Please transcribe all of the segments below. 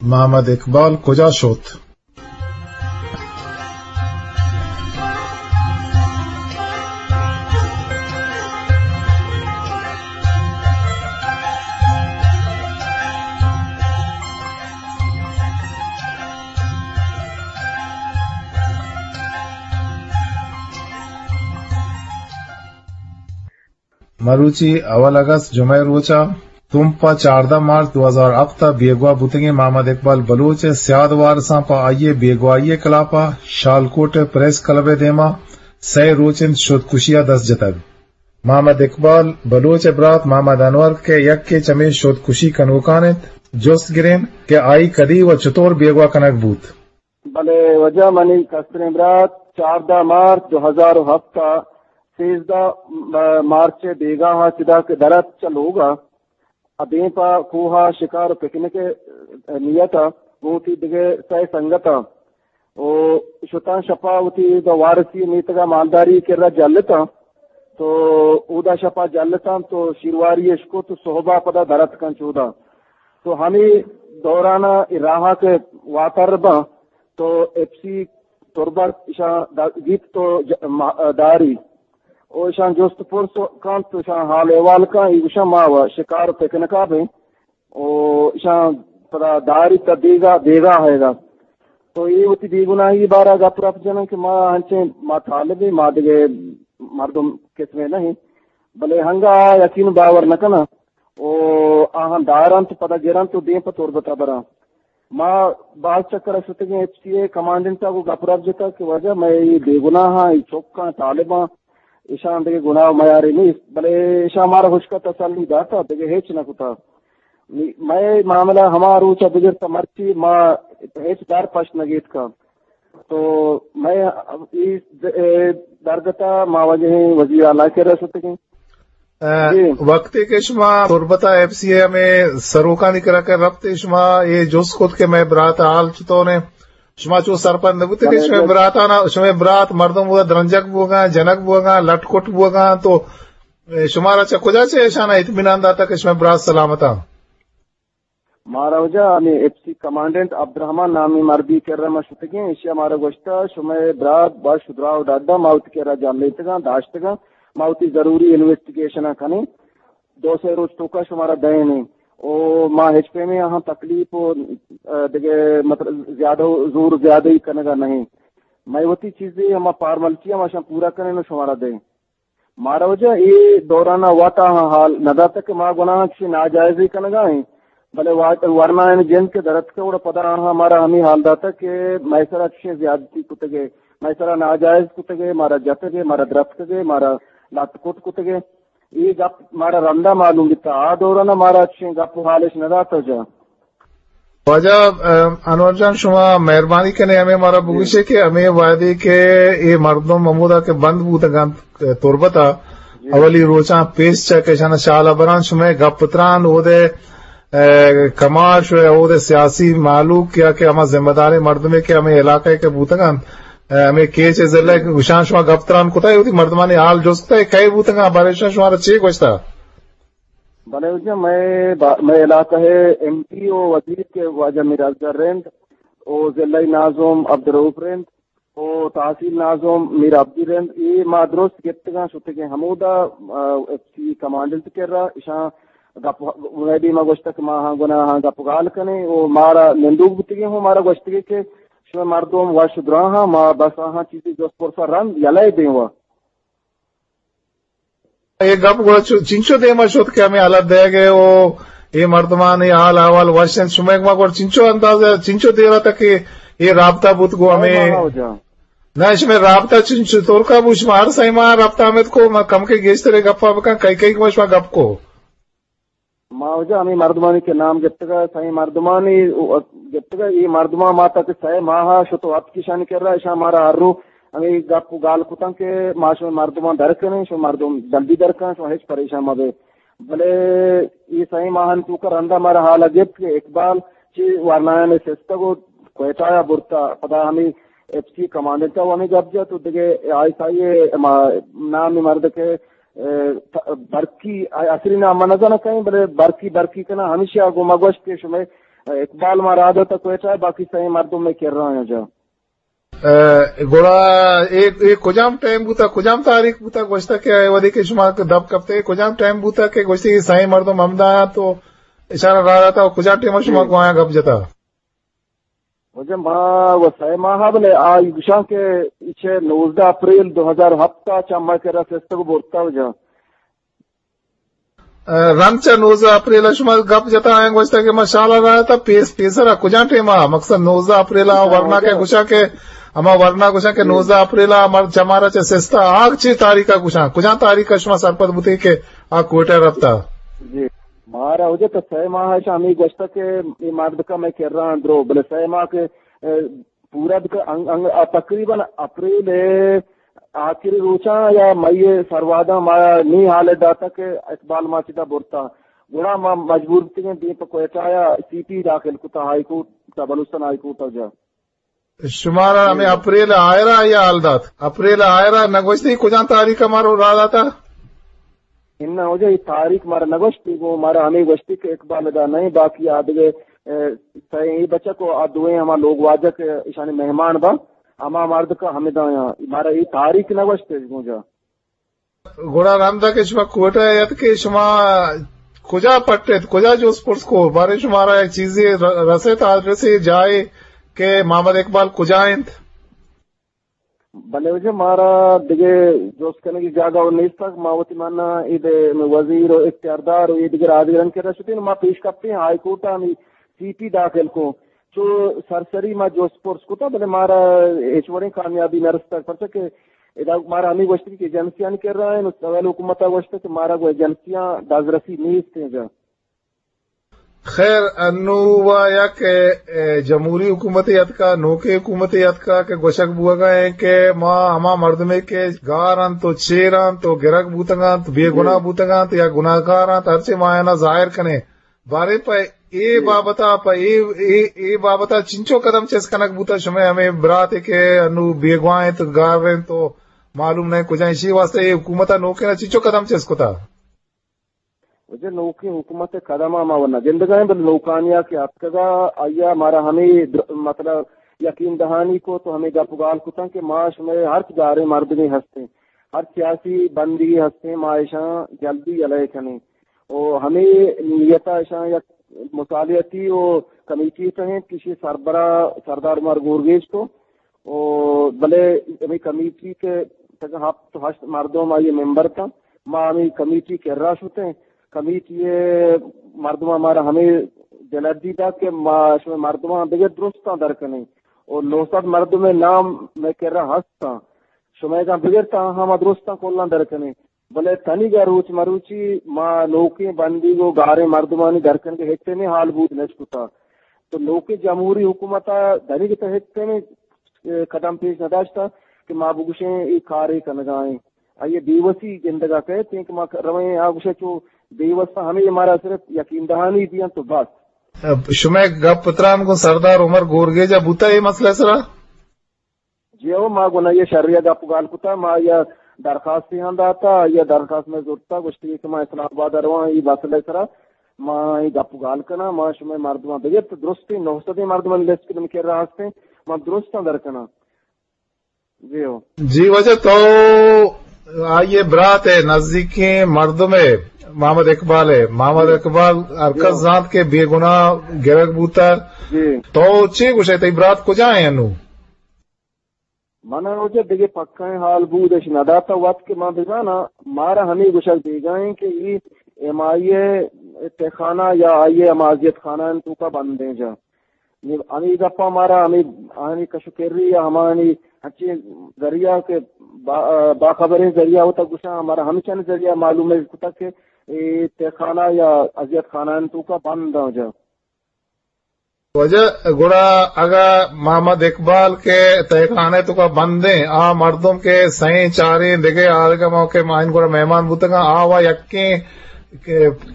محمد اقبال کجا شت؟ مروچی اول اگست جمعہ ءِ روچ ءَ تمپ ءَ چاردہ مارچ دو ہزار ہپت ءَ بیگواہ بوتگیں محمد اقبال بلوچ ءِ سیاد وارساں پہ آئی ءِ بیگواہی ءِ کلاپ ءَ شالکوٹ ءِ پریس کلب ءِ دیما سئے روچ انت شدکشی ءَ دست جتگ۔ محمد اقبال بلوچ ءِ برات محمد انور کہ یکے چمے شدکشی کنوکان انت، جست گریں کہ آئی کدی و چتور بیگواہ کنگ بوت۔ بلے واجہ، منی کستریں برات چاردہ مارچ دو ہزار و ہپت ءَ سیزدہ مارچ ءِ بیگاہ ءَ چدا کہ در ات چہ لوگ ءَ، ءَ دیم پہ کوہ ءَ شکار و پکنک ءِ نیت ءَ گوں وتی دگہ سئے سنگتاں و شتاں شپ ءَ وتی دو وارسی میتگ ءَ مالداری کرا جلتاں۔ تو اودا شپ ءَ جلتاں تو شیرواری اش کت تو صحب ءَ پدا در اتکاں چودا۔ تو ہمے دوران ءَ اے راہ ءَ کہ واتر باں تو ایف سی تربت اشاں دا-، گیپت تو ج-، ما-، داری۔ او اشاں جست پرس کنت، اشاں حال احوال کن، ای گوشاں ما و شکار پکنکا بیں۔ او اشاں پدا داری تا دیگا، دیگا ہے گا۔ تو ای وتی بیگناہی بارا گپ رپ جنن کہ ما انچیں ما طالبیں، ما دگہ مردم قسمے نہیں۔ بلے ہنگا آ یقین باور نہ کناں۔ او آہاں دارنت، پدا گرنت و دیم پہ تربت ءَ براں۔ ما باز چکر ءَ شتگیں ایف سی ءِ کمانڈنٹ ءَ گوں گپ رپ جتگ کہ واجہ مئے اے بے گناہاں، اے چکاں، طالباں، اشاں دگہ گناہ و میارے نیست، بلے اشاں مارا ہشکا تسلی داتا، دگہ ہچ نہ کتا۔ مئے معاملہ ہما روچ ءَ بگر تا مرچی ما ہچ در پشت نہ گیتکا۔ تو مئے اے درگت ءَ ما واجہیں وزیر اعلیٰ کرا شتگیں۔ اے، جی۔ وقتے کہ شما تربت ءَ ایف سی ءِ ہمے سروکانی کرا کہ رپت، شما اے جست کت کہ مئے برات ءِ حال چطور انت؟ شما چو سرپد نہ بوتے کہ بلے شمئے جی۔ براتانا، شمئے برات مردم بوگا درنجگ بوگا، جنگ بوگا، لٹ کٹ بوگا، تو، اے، شمارا چہ کجا چہ اشانا اطمینان داتا کہ شمئے برات سلامت انت؟ مارا واجہ ہمے ایف سی کمانڈنٹ عبدالرحمن نامی مردی کرا ما شتگیں، ایشی ءَ مارا گوشتا، شمئے برات وش و دراہ و ڈڈا، ما وتی کرا جلیتگاں، داشتگاں، ما وتی ضروری انویسٹیگیشن ءَ کنیں، دو سے روچ توکا شمارا دئینیں۔ او ما ہچ پیمیں آہاں تکلیف و، ا، دگہ مطلب زیادہ و زور زیادہ ہی کنگا نہیں۔ مئے وتی چیزے ہما فارملٹی ہم اشاں پورا کنیں و شمارا دئیں۔ مارا واجہ اے دوران ءَ وت آہاں حال نہ داتگ کہ ما گناہاں چشیں ناجائزے کنگا ایں، بلے وت ورنایانی جند کہ در اتکگ گڑا پدا آہاں مارا ہمے حال داتگ کہ مئے سرا چشیں زیادتی کتگ ئے، مئے سرا ناجائز کتگ ئے، مارا جتگ ئے، مارا درتکگ ئے، مارا لٹ کٹ کتگ ئے۔ اے گپ مارا رندا معلوم بیتا، آ دوران ءَ مارا چشیں گپ و حالش نہ داتگ جا۔ واجہ، ا، انور جان، شما مہربانی کنے ہمے مارا بگوشے کہ ہمے وہدے کہ اے مردم ہمودا کہ بند بوتگ انت تربت ءَ، جی۔ اولی روچاں پیش چہ کہ اشانا شال ءَ بران، شمئے گپ تران اودے، ا، کماش و اودے سیاسی مہلوک یا کہ ہما ذمہ داریں مردمے کہ ہمے علاقہ ءَ کہ بوتگ انت، ا، ہمے کیچ ءِ ضلع ءَ کہ گشان شما گپ تران کتا، اے وتی مردمانی حال جست کتا، اے کئے بوتگ انت، بارشاں شمارا چے گوشتا؟ بلے واجہ مئے با-، مئے علاقہ ءِ ایم پی او وزیر کہ واجہ میر اصغر رند او ضلعی ناظم عبدالرؤف رند او تحصیل ناظم میر عبدی رند، اے ما درست گپتگاں شتگیں ہمودا، آ، ایف سی کمانڈنٹ کرا اشاں گپ، مئے دیما گوشتگ کہ ما ہاں گناہاں گپ گال کنیں او مارا نندوک بوتگیں ہوں مارا گوشتگیں کہ شمئے مردم وش دراہاں، ما بس آہاں چیزی جست پرسا رند یلہ دیں وا۔ اے گپ گڑا چو-، چنچو دیما شت کہ ہمے حالت دئیگ ءَ او اے مردمانی حال احوال وش انت؟ شمئے گما گڑا چنچو اندازہ، چنچو دیر ءَ تک اے، اے رابطہ بوت گوں ہمے؟ ماہ واجہ۔ نہ، شمئے رابطہ چنچو طور کا بو؟ شما ہر سئے ماہ رابطہ ہمیت کو، ما کمکے گیشترے گپا بکن، کئی کئی گما شما گپ کو؟ ما واجہ ہمے مردمانی کہ نام گپتگا، سئے مردمانی گپتگا، اے مردمان ما تک سئے ماہ شت و اتک اشانی کرا، اشاں مارا ہر رو ہمے گپ و گال کتن کہ ما شمئے مردمان در کنیں، شمئے مردم جلدی در کن، شما ہچ پریشان مبے۔ بلے اے سئے ماہانی توکا رندا مارا حالا گپت کہ اقبال چہ ورنایان سستگ و کوئٹہ ءَ برتا، پدا ہمے ایف سی کمانڈنٹ ءَ ہمے گپ جت و دگہ آئی ایس آئی ءِ ما-، نامی مردکے، اے، ت-، برکی، آ-، اصلی نام من نزاناں کئے، بلے برکی، برکی کنا ہمیشی ءَ گوں ما گوشت کہ شمئے اقبال ما راہ داتا کوئٹہ، باقی سئیں مردم مئے کرا آیاں جا۔ اے، گڑا اے، اے کجام ٹائم بوتا، کجام تاریخ بوتا، گوشتا کہ اے وھدے کہ شما دپ کپتے، کجام ٹائم بوتا کہ گوشتے کہ سئیں مردم ہمدا آیاں تو اشارہ راہ داتا، کجام ٹائم شما گوایا گپ جتا؟ واجہ ما و سئے ماہ، بلے آ گوشاں کہ چہ نوزدہ اپریل دو ہزار ہپت ء چہ ما کرا سستگ برتا واجہ۔ رند چہ نوزدہ اپریل ء شما گپ جتا، آیاں گوشتا کہ ما شالا راہ تا پیس، پیسرا کجا ٹیما؟ مقصد نوزدہ اپریل ء ورنا کہ گوشاں کہ، ہما ورنا گوشاں کہ نوزدہ اپریل ء مر-، چہ مارا چہ سستا آگ چی تاریخ ء گوشاں؟ کجا تاریخ ء شما سرپد بوتے کہ آ کوئٹہ رپتا؟ جی، مارا ہو جتا سئے ماہ ء ہمیں گوشتا کہ اے مرد کا میں کرا اندرو، بلے سئے ماہ کے، اے، پورا دکا انگ-، انگ-، آ، تقریباً اپریل ء آخری روچاں یا مئی ء سرواداں ما نی حال ء داتا کہ اقبال ما چدا برتا۔ گڑا ما مجبور بوتگیں دیم پہ کوئٹہ یا سی پی داخل کتا ہائی کورٹ، تا بلوچستان ہائی کورٹ ء جا۔ شمارا ہمیں اپریل آئرا یا حال دات؟ اپریل آئرا نہ گوشتی کجا تاریخ ہمارو را داتا؟ اناں واجہ، اے تاریخ مارا نہ گوشتی، گوں مارا ہمے گوشتی کہ اقبال ادا نہ ایں، باقی آ دگہ، اے، سئے اے بچک و آ دوئیں ہما لوگ واجہ کہ ایشانی مہمان باں، ہما مرد کا ہمدا آیاں۔ مارا اے تاریخ نہ گوشت گوں جا۔ گڑا رندا کہ شما کوئٹہ ء اتکے، شما کجا پٹت، کجا جست پرس کو؟ بارے شمارا یک چیزے ر-، رسیت، آدرسے، جاہے کہ محمد اقبال کجا انت؟ بلے واجہ، مارا دگہ جست کنگی جاگہ و نیستگ۔ ما وتی مانا اے دے وزیر و اختیاردار و اے دگہ آدگران کرا شتیں، ما پیش کپتیں ہائی کورٹ ء ہمے سی پی داخل کو۔ چو سرسری ما جست پرس کتا، بلے مارا ہچ وڑیں کامیابی نہ رستگ، پرچا کہ ادا مارا ہمے گوشتگ کہ ایجنسیانی کرا ایں، و سول حکومت ء گوشتگ کہ مارا گوں ایجنسیاں دزرسی نیست ایں جا۔ خیر، انو وا یک، اے، جمہوری حکومتے اتکا، نوکیں حکومتے اتکا کہ گوشگ بوگا ایں کہ ما ہما مردمے کہ گار انت و چیر انت و گرگ بوتگ انت، بے گناہ بوتگ انت یا گناہگار انت، ہرچے ما آیانا ظاہر کنیں۔ بارے پہ اے بابتا، پہ اے، اے، اے بابتا چنچو قدم چست کنگ بوتا؟ شمئے ہمے براتے کہ انو بیگواہ انت، گار انت و معلوم نہ انت کجا، اشی واسطہ اے حکومتا نوکینا چنچو قدم چست کتا؟ واجہ، نوکیں حکومت ء قدم ء ما و نہ گندگا ایں، بلے نوکانیا کہ اتکگا، آیا مارا ہمے در-، مطلب، یقین دہانی کو تو ہمے گپ گال کتاں کہ ما شمئے ہرچ گاریں مردمے ہستیں، ہر سیاسی بندی ہستیں، ما ایشاں جلدی یلہ کنیں۔ و ہمے نیت ء ایشاں یک مصالحتی و کمیٹی تہ انت، کشی سربراہ سردار عمر گورگیج تو و بلے ہمے کمیٹی کہ تقریباً ہپت ہشت مردم آئی ممبر تاں، ما ہمے کمیٹی کرا شتیں۔ کمیٹی مردماں مارا ہمے جلدی دات کہ ما شمئے مردماں بگر درستاں در کنیں و نو سد مردم نام مئے کرا ہستاں، شمئے گاں بگر تاں ہما درستاں کلاں در کنیں۔ بلے تنیگا روچ مروچی ما نوکیں بندیگ و گاریں مردمانی در کنگ ء ہچ پیمیں حال بود نشکتا۔ تو نوکیں جمہوری حکومت ء دنیگ تہ ہچ پیمیں، اے، قدم پیش نداشتا کہ ما بگوشیں اے کارے کنگا ایں۔ آئی ء بے وسی گندگا کئیت، کہ ما رویں آ گوشے چو بے وس ہمے مارا صرف یقین دہانی دیاں تو بس۔ شمئے گپ تران گوں سردار عمر گورگیج ء بوتا اے مسئلہ سرا؟ جی ہو، ما گوں آئی ء شری ء گپ گال کتا، ما آئی ء درخواستے ہم داتا، آئی ء درخواست مئے زرتا، گوشتی کہ ما اسلام آباد ء رواں، اے مسئلہ ء سرا ما اے گپ گال کناں، ما شمئے مردماں بگر تو درستیں نو سدیں مردمانی لسٹ کہ منی کرا ہستیں، ما درستاں در کناں۔ جی ہو۔ جی واجہ، تو آئی ء برات ء نزیکیں مردم ء محمد اقبال ء، محمد اقبال ہر کس زانت کہ بے گناہ گرگ بوتا۔ جی۔ تو چے گوشئے، تئی برات کجا ایں انو؟ من ء واجہ دگہ پکائیں حال بود اش نداتہ، وت کہ من بزاناں، مارا ہمے گوشگ بیگا ایں کہ اے ایم آئی اے تہہ خانہ یا آئی ء ہما اذیت خانہ آنی توکا بندیں جا۔ نی ہمے گپاں مارا ہمے آنی کش و کری یا ہمانی ہنچیں ذریعہ کہ با-، باخبریں ذریعہ ہوتا گوشاں، مارا ہمچن ذریعہ معلوم کتا کہ اے تہہ خانہ یا اذیت خانہ آنی توکا بنداں جا۔ واجہ، گڑا اگاں محمد اقبال کہ تہہ خانہ ء توکا بندیں، آ مردم کہ سئیں چاریں دگہ آ دگہ موقع ما ان گڑا مہمان بوتگاں، آ وا یکیں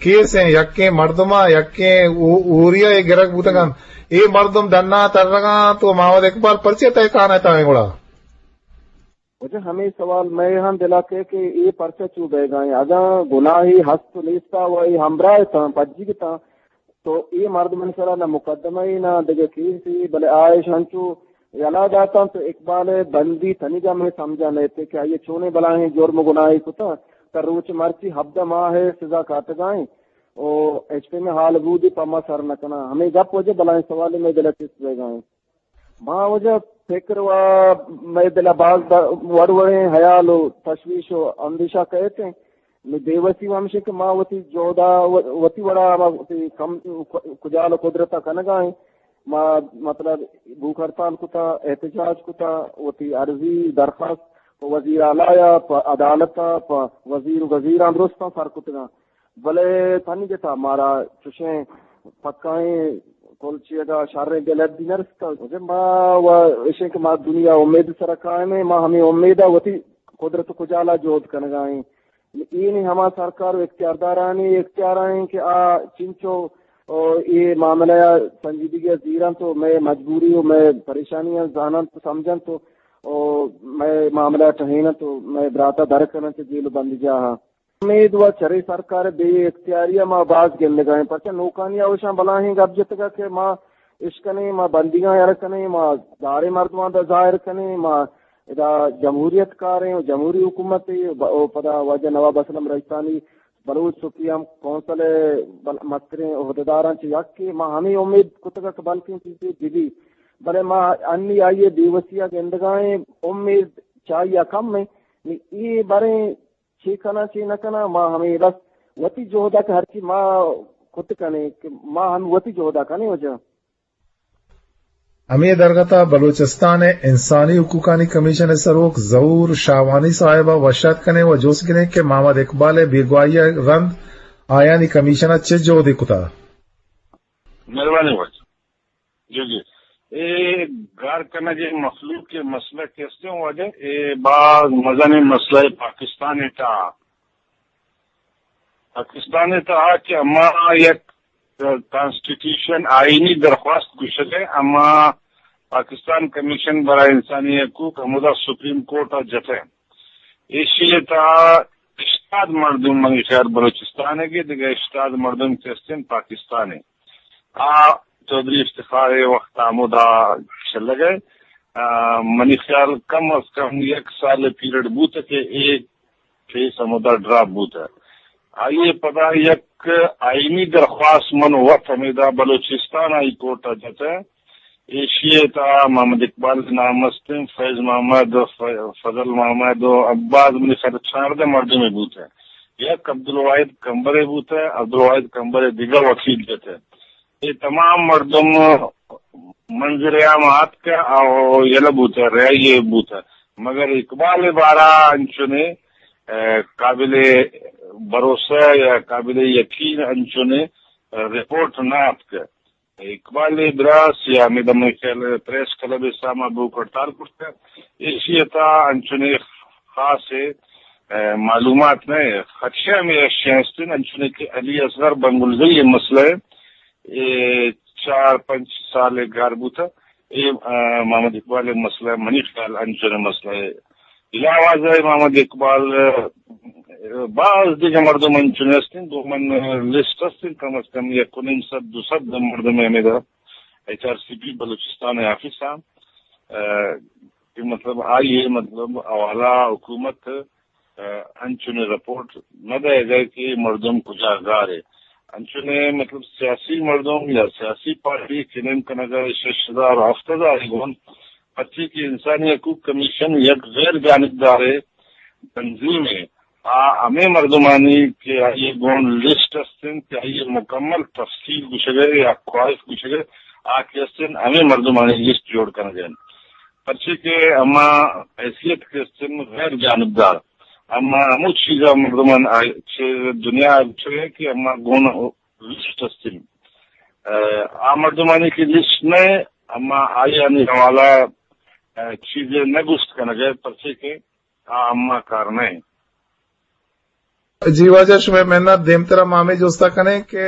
کیس ایں، یکیں مردماں، یکیں او-، اوری ء اے گرگ بوتگاں۔ اے مردم ڈنا ترگاں تو محمد اقبال پرچے تہہ خانہ ء تاں گڑا؟ واجہ، ہمے سوال مئے ہم دلا کئے کہ اے پرچا چو بیگا ایں؟ اگاں گناہے ہست و نیستا و اے ہمراہ تاں، پجیگ تاں، تو اے مردمانی سرا نہ مقدمہ ای نہ دگہ کیس ای، بلے آ اش انچو یلا داتاں تو اقبال ء بندی تنیگا مئے سمجھا نئیت کہ آئی ء چونیں بلاہیں جرم و گناہے کتہ، تاں روچ مرچی ہبدہ ماہ ء سزا کاتگائیں و ہچ پیمیں حال بودی پہ ما سر نہ کناں۔ ہمے گپ وجہ بلاہیں سوالے مئے دل ء چست بیگائیں۔ ما وجہ فکر و مئے دل ء باز د-، وڑ وڑیں حیال و تشویش و اندیشہ کئیت انت۔ نی بے وسی و ہمشی کہ ما وتی جہدا و-، وتی وڑا ما وتی کم-، کجال و قدرت ء کنگا ایں۔ ما مطلب بھوک ہڑتال کتا، احتجاج کتا، وتی عرضی درخواست پہ وزیر اعلی ء، پہ عدالت ء، پہ وزیر و وزیراں درستاں سر کتگاں۔ بلے تنیگتا مارا چوشیں پکائیں کل چیگا شریں گلدی نہ رستا۔ ما و اشیں کہ ما دنیا امید سرا قائم ایں، ما ہمیں امید ء وتی قدرت و کجالا جہد کنگا ایں۔ اے نی ہما سرکار و اختیاردارانی اختیار ایں کہ آ چنچو او اے معاملہ ء سنجیدگی ء زیرنت و مئے مجبوری و مئے پریشانیاں زاننت و سمجھنت و، و مئے معاملہ ء ٹہیننت و مئے براتا در کننت جیل و بندیجاہ ء۔ امید و چرے سرکار ء بے اختیاری ء ما باز گندگا ایں، پرچہ نوکانی ء اوشاں بلاہیں گپ جتگا کہ ما اشکنیں، ما بندیگاں یر کنیں، ما داریں مردماں دا ظاہر کنیں، ما ادا جمہوریت کاریں و جمہوری حکومت ء و پدا واجہ نواب اسلم رئیسانی بلوچ سپریم کونسل ء بل-، مستریں عہدیداراں چہ یکے۔ ما ہمے امید کتگ کہ بلکیں چیزے بہ بی، بلے ما انی آئی ء بے وسی ء گندگائیں، امید چہ آئی ء کم ایں۔ نی اے بریں چے کناں چے نہ کناں، ما ہمے بس وتی جہد ء کہ ہرچی ما کت کنیں کہ ما ہم وتی جہد ء کنیں وجہ۔ ہمے درگت ء بلوچستان ء انسانی حقوقانی کمیشن ء سروک ظہور شاہوانی صاحب ء وش آتک کنیں و جست گریں کہ محمد اقبال ء بیگواہی ء رند آیانی کمیشن ء چے جہدے کتہ؟ مہربانی واجہ۔ جی جی۔ اے گار کنگ ء مخلوق ء مسئلہ کہ استیں واجہ، اے باز مزنیں مسئلہ ء پاکستان ء تہا۔ پاکستان ء تہا کہ ہما یک کانسٹیٹیوشن آئینی درخواست گوشگ ء، ہما پاکستان کمیشن برای انسانی حقوق ہمودا سپریم کورٹ ء جتہ۔ ایشی ء تہا ہشتاد مردم منی خیال بلوچستان ء، دگہ ہشتاد مردم کہ استیں پاکستان ء۔ آ چوہدری افتخار ء وقت ہمودا شلگ ء۔ آ، منی خیال کم از کم یک سال پیریڈ بوت کہ اے کیس ہمودا ڈراپ بوت۔ آئی ء پدا یک آئینی درخواست من وت ہمیدا بلوچستان ہائی کورٹ ء جت۔ ایشی ء تہا محمد اقبال نام استیں، فیض محمد، ف-، فضل محمد و عباس، منی خیال چاردہ مردمے بوت۔ یک عبدالواحد کمبرے بوت، عبدالواحد کمبرے دگہ وکیل جت۔ اے تمام مردم منظر عام آتک او یلہ بوت، رہائی بوت، مگر اقبال بارہ انچنے، اہ، قابل بھروسہ یا قابل یقین انچنے رپورٹ نہ آتک۔ اقبال براس یا ہمے دمے خیال پریس کلب ساما بھوک ہڑتال کرتہ۔ ایشی ء تہا انچنے خاص، اہ، معلومات نہ۔ خدشہ ہمے اشیاں استن، انچنے کہ علی اصغر بنگلزئی مسئلہ اے چار پنچ سال ء گار بوتہ۔ اے، آ، محمد اقبال ء مسئلہ منی خیال انچن مسئلہ ء علاوہ ء محمد اقبال، آ، باز دگہ مردم انچن استیں، گوں من لسٹ استیں، کم از کم یک و نیم سد، دو سد مردم ہمیدا ایچ آر سی پی بلوچستان ء آفیس ء، آ، کہ مطلب آئی ء مطلب حوالہ حکومت ء انچنیں رپورٹ نہ دئیگ ء کہ اے مردم کجا گار ء۔ انچنیں مطلب سیاسی مردم یا سیاسی پارٹی کلیم کنگ ء شش ہزار و ہفت ہزار ء گون، پرچے کہ انسانی حقوق کمیشن یک غیر جانبدار ء تنظیم ء، آ ہمے مردمانی کہ آئی ء گون لسٹ است انت کہ آئی ء مکمل تفصیل گوشگ ء یا خواہش گوشگ ء، آ کہ است انت ہمے مردمانی لسٹ جوڑ کنگ ء انت۔ پرچے کہ ہما حیثیت کہ است انت غیر جانبدار، اما ہمو چیزا مردمان آ-، چہ دنیا ء گوشگ ء کہ اما گون لسٹ است انت۔ آ مردمانی کہ لسٹ نہ، اما آیانی حوالہ ء چیزے نہ گوشت کنگ ء، پرچے کہ آ اما کار نہ انت۔ جی واجہ، شمئے منت۔ دیمترا ما ہمے جستا کنیں کہ،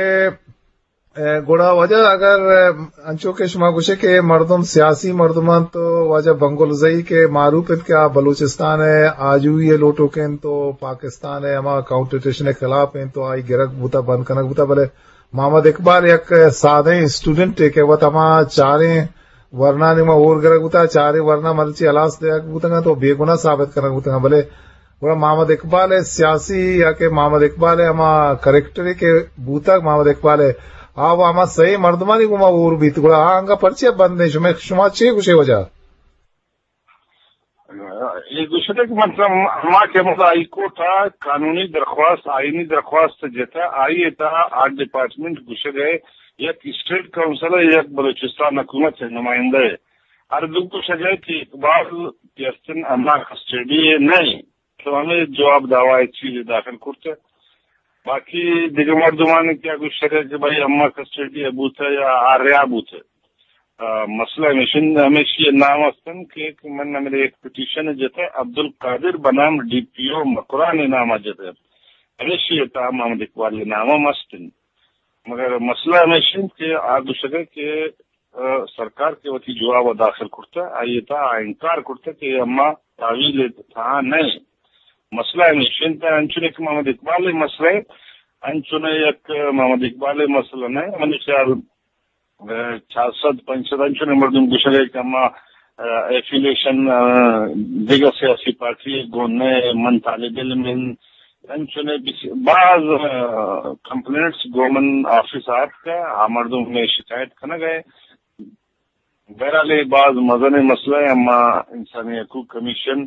اے، گڑا واجہ اگر، اے، انچو کہ شما گوشے کہ اے مردم سیاسی مردم انت تو واجہ بنگلزئی کہ معروف انت کہ آ بلوچستان ء آجوئی ء لوٹوک انت تو پاکستان ء ہما کانسٹیٹیوشن ء خلاف انت تو آئی گرگ بوتا، بند کنگ بوتا، بلے محمد اقبال یک سادہ اسٹوڈنٹ ہے کہ وت ہما چاریں ورنانی ما اور گرگ بوتا، چاریں ورنا مرچی ہلاس دیگ بوتگاں تو بے گناہ ثابت کنگ بوتگاں، بلے گڑا محمد اقبال ءِ سیاسی یا کہ محمد اقبال ءِ ہما کریکٹرے کہ بوتگ، محمد اقبال ءِ آ و ہما سئے مردمانی گوما اور بیت، گڑا آ انگا پرچے بند ایں؟ شما، شما چے گوشے وجہ؟ اے گوشگ کہ مطلب ہما کہ مطلب ہائی کورٹ ءَ قانونی درخواست، آئینی درخواست جتہ، آئی ءِ تہا آرٹ ڈپارٹمنٹ گوشگ ءَ یک اسٹیٹ کونسل ءِ، یک بلوچستان حکومت ءِ نمائندہ ءِ، ہر دو گوشگ ءَ کہ اقبال کہ استن ہما کسٹڈی ءَ نہ ایں۔ تو ہمے جواب دعوی ءِ چیزے داخل کرتہ۔ باقی دگہ مردمانی کیا گوشگ ءَ کہ بھائی ہما کسٹڈی ءَ بوتہ یا آ رہا بوتہ۔ آ، مسئلہ ہمیش انت، ہمیشی ءِ نام است انت کہ، کہ من ہمے یک پٹیشن جتہ عبدالقادر بنام ڈی پی او مکران ءِ نام ءَ جتہ۔ ہمیشی ءِ تہا محمد اقبال ءِ نام ہم است انت۔ مگر مسئلہ ہمیش انت کہ آ گوشگ ءَ کہ آ، سرکار کہ وتی جواب ءَ داخل کرتہ، آئی ءِ تہا انکار کرتہ کہ ہما تاویل ءِ تہا نہ ایں۔ مسئلہ ہمیش انت، انچو نہ کہ محمد اقبال ءِ مسئلہ ایں، انچو نہ یک محمد اقبال ءِ مسئلہ نہ ایں۔ منی خیال، آ، چار سد، پنچ سد انچو نہ مردم گوشگ ءَ کہ ہما، آ، ایفیلیشن، آ، دگہ سیاسی پارٹی ءِ گون نہ ایں، من طالب علم ایں، انچو نہ بس-، باز، آ، کمپلینٹس گورنمنٹ آفس ءَ آتکہ، آ مردم ہمے شکایت کنگ ءَ۔ بہرحال، اے باز مزنیں مسئلہ ایں، اما انسانی حقوق کمیشن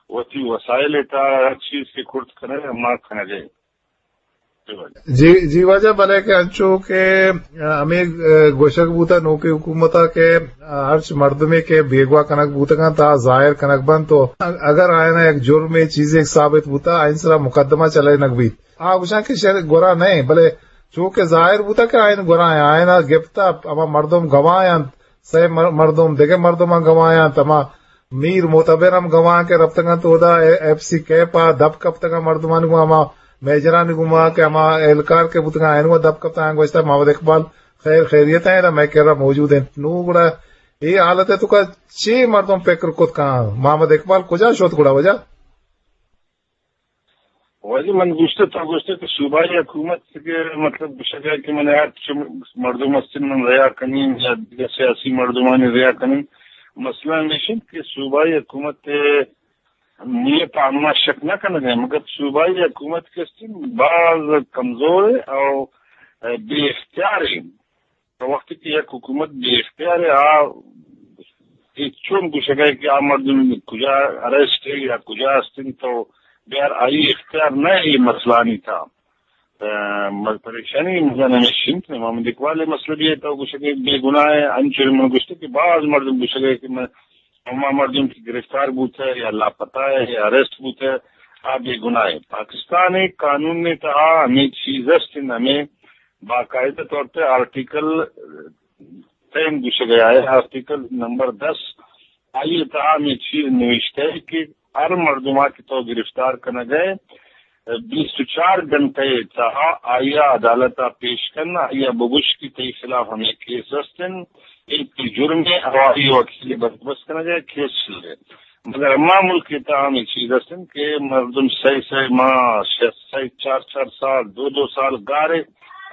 وتی وسائل ءِ تہا ہر چیز کہ کرت کنگ ءَ، اما کنگ ءَ۔ جی واجہ۔ جی، جی واجہ، بلے کہ انچو کہ، آ، ہمے، آ، گوشگ بوتا نوکیں حکومت ءَ کہ، آ، ہرچ مردمے کہ بیگواہ کنگ بوتگاں تا ظاہر کنگ بنت، تو اگر آیانا یک جرمے چیزے ثابت بوتا، آئین سرا مقدمہ چلینگ بیت۔ آ گوشاں کہ شر گورا نہ ایں، بلے چو کہ ظاہر بوتا کہ آئین گورا ایں، آئینا گپتا، ہما مردم گواہ انت، سئے مر-، مردم، دگہ مردماں گواہ انت، ہما میر معتبر ہم گواہ کہ رپتگ انت اودا اے-، ایف سی کیپ ءَ دپ کپتگ انت مردمانی گوما، ہما میجرانی گوما کہ ہما اہلکار کہ بوتگ انت، آئین گوما دپ کپتگ انت، گوشتہ محمد اقبال خیر خیریت انت، ادا مئے کرا موجود انت۔ نوں گڑا اے حالت ءِ توکا چے مردم فکر کت کن؟ محمد اقبال کجا شت گڑا واجہ؟ واجہ، من گوشتہ، تو گوشتہ کہ صوبائی حکومت کہ مطلب گوشگ ءَ کہ من ہرچ مردم استن من رہا کنیں یا دگہ سیاسی مردمانی رہا کنیں۔ مسئلہ ہمیش انت کہ صوبائی حکومت ءِ نیت ءَ ما شک نہ کنگ ءَ، مگر صوبائی حکومت کہ استن باز کمزور ایں او بے اختیار ایں۔ تو وقتی کہ یک حکومت بے اختیار ایں، آ اے چون گوشگ ءَ کہ آ مردم کجا اریسٹ ایں یا کجا است انت، تو بیار، آئی اختیار نہ ایں اے مسئلہانی تہا۔ آ، مز-، پریشانی مزن ہمیش انت، محمد اقبال ءِ مسئلہ بھی ایں، تو گوشگ ءَ بے گناہ ایں، انچو من گوشتہ کہ باز مردم گوشگ ءَ کہ من، ہما مردم کہ گرفتار بوتہ یا لاپتہ ایں یا اریسٹ بوتہ، آ بے گناہ ایں۔ پاکستان ءِ قانون ءِ تہا ہمے چیز است انت، ہمے باقاعدہ طور پہ آرٹیکل ٹین گوشگ ءَ آئے، آرٹیکل نمبر دس، آئی ءِ تہا ہمے چیز نوشتہ ایں کہ ہر مردما کہ تو گرفتار کنگ ءَ ئے، بیست و چار گھنٹہ ءِ تہا آئی ءَ عدالت ءَ پیش کن، آئی ءَ بگوش کہ تئی خلاف ہمے کیس است انت، اے تئی جرم ایں، او آئی ءِ وکیل ءِ بندوبست کنگ ءَ کیس چلگ ءَ۔ مگر ہما ملک ءِ تہا ہمے چیز است انت کہ مردم سئے سئے ماہ، شش، سئے چار چار سال، دو دو سال گار ایں،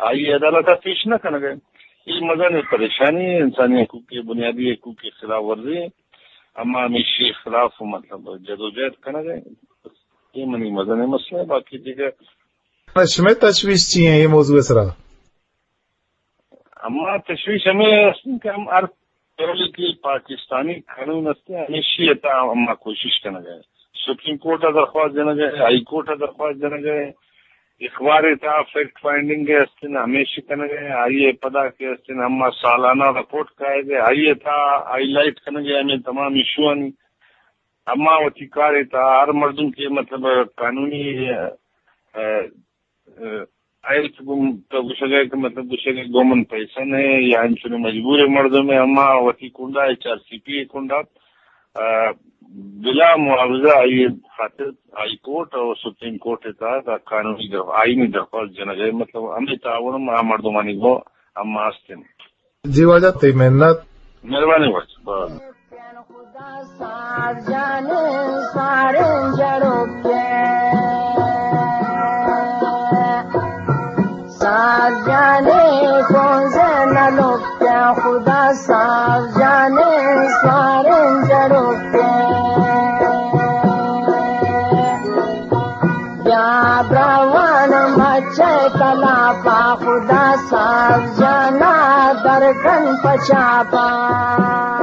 آئی ءَ عدالت ءَ پیش نہ کنگ ءَ۔ اے مزن پریشانی ایں، انسانی حقوق ءِ، بنیادی حقوق ءِ خلاف ورزی ایں۔ اما ہمیشی خلاف مطلب جدوجہد کنگ ءَ۔ اے منی مزن مسئلہ ایں، باقی دگہ۔ شمئے تشویش چی ایں اے موضوع ءِ سرا؟ اما تشویش ہمے است کہ ہم ہر ڈولے کہ پاکستانی قانون است، ہمیشی ءِ تہا اما کوشش کنگ ءَ۔ سپریم کورٹ ءَ درخواست جنگ ءَ، ہائی کورٹ ءَ درخواست جنگ ءَ، اخبار ءِ تہا فیکٹ فائنڈنگ ءِ است انت، ہمیشی کنگ ءَ، آئی ءَ پدا کہ است انت، اما سالانہ رپورٹ کائیگ ءَ، آئی ءِ تہا ہائی لائٹ کنگ ءَ، ہمے تمام ایشوانی۔ اما وتی کار ءِ تہا ہر مردم کہ مطلب قانونی، آ، آ، آ، آئین گم-، تو گوشگ ءَ کہ مطلب گوشگ ءَ گوں من پیسہ نہ ایں یا انچو مجبور مردم ایں، اما وتی کنڈا ایچ آر سی پی ءِ کنڈا، آ، بلا معاوضہ آئی خاطر ہائی کورٹ اور سپریم کورٹ ءِ تہا قانونی در-، آئینی درخواست جنگ ءَ، مطلب ہمے تعاون ما مردمانی گوں اما است انت۔ جی واجہ، تئی منت۔ مہربانی واجہ۔ بس۔ شاباش۔